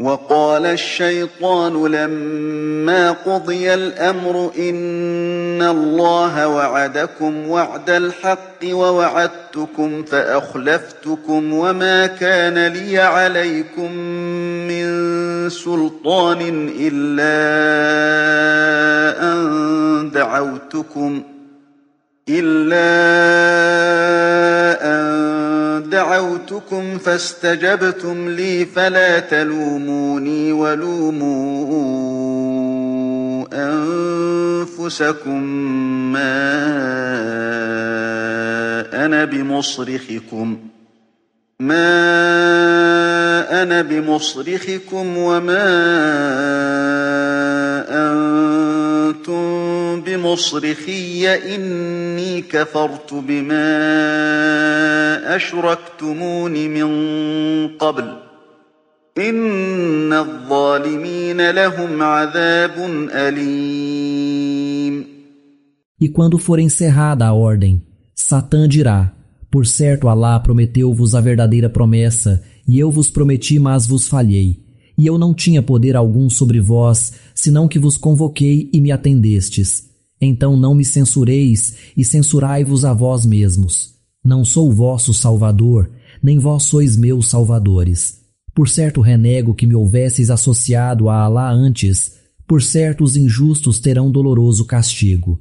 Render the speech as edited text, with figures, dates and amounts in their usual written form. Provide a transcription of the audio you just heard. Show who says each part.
Speaker 1: وقال الشيطان لما قضي الأمر إن الله وعدكم وعد الحق ووعدتكم فأخلفتكم وما كان لي عليكم من سلطان إلا أن دعوتكم فاستجبتم لي فلا تلوموني ولوموا أنفسكم ما أنا بمصرخكم وما أنتم بمصرخي إني كفرت بما أشركتمون من قبل إن الظالمين لهم عذاب أليم.
Speaker 2: E quando for encerrada a ordem, Satã dirá: Por certo, Alá prometeu-vos a verdadeira promessa, e eu vos prometi, mas vos falhei. E eu não tinha poder algum sobre vós, senão que vos convoquei e me atendestes. Então não me censureis e censurai-vos a vós mesmos. Não sou vosso salvador, nem vós sois meus salvadores. Por certo renego que me houvesseis associado a Alá antes, por certo os injustos terão doloroso castigo.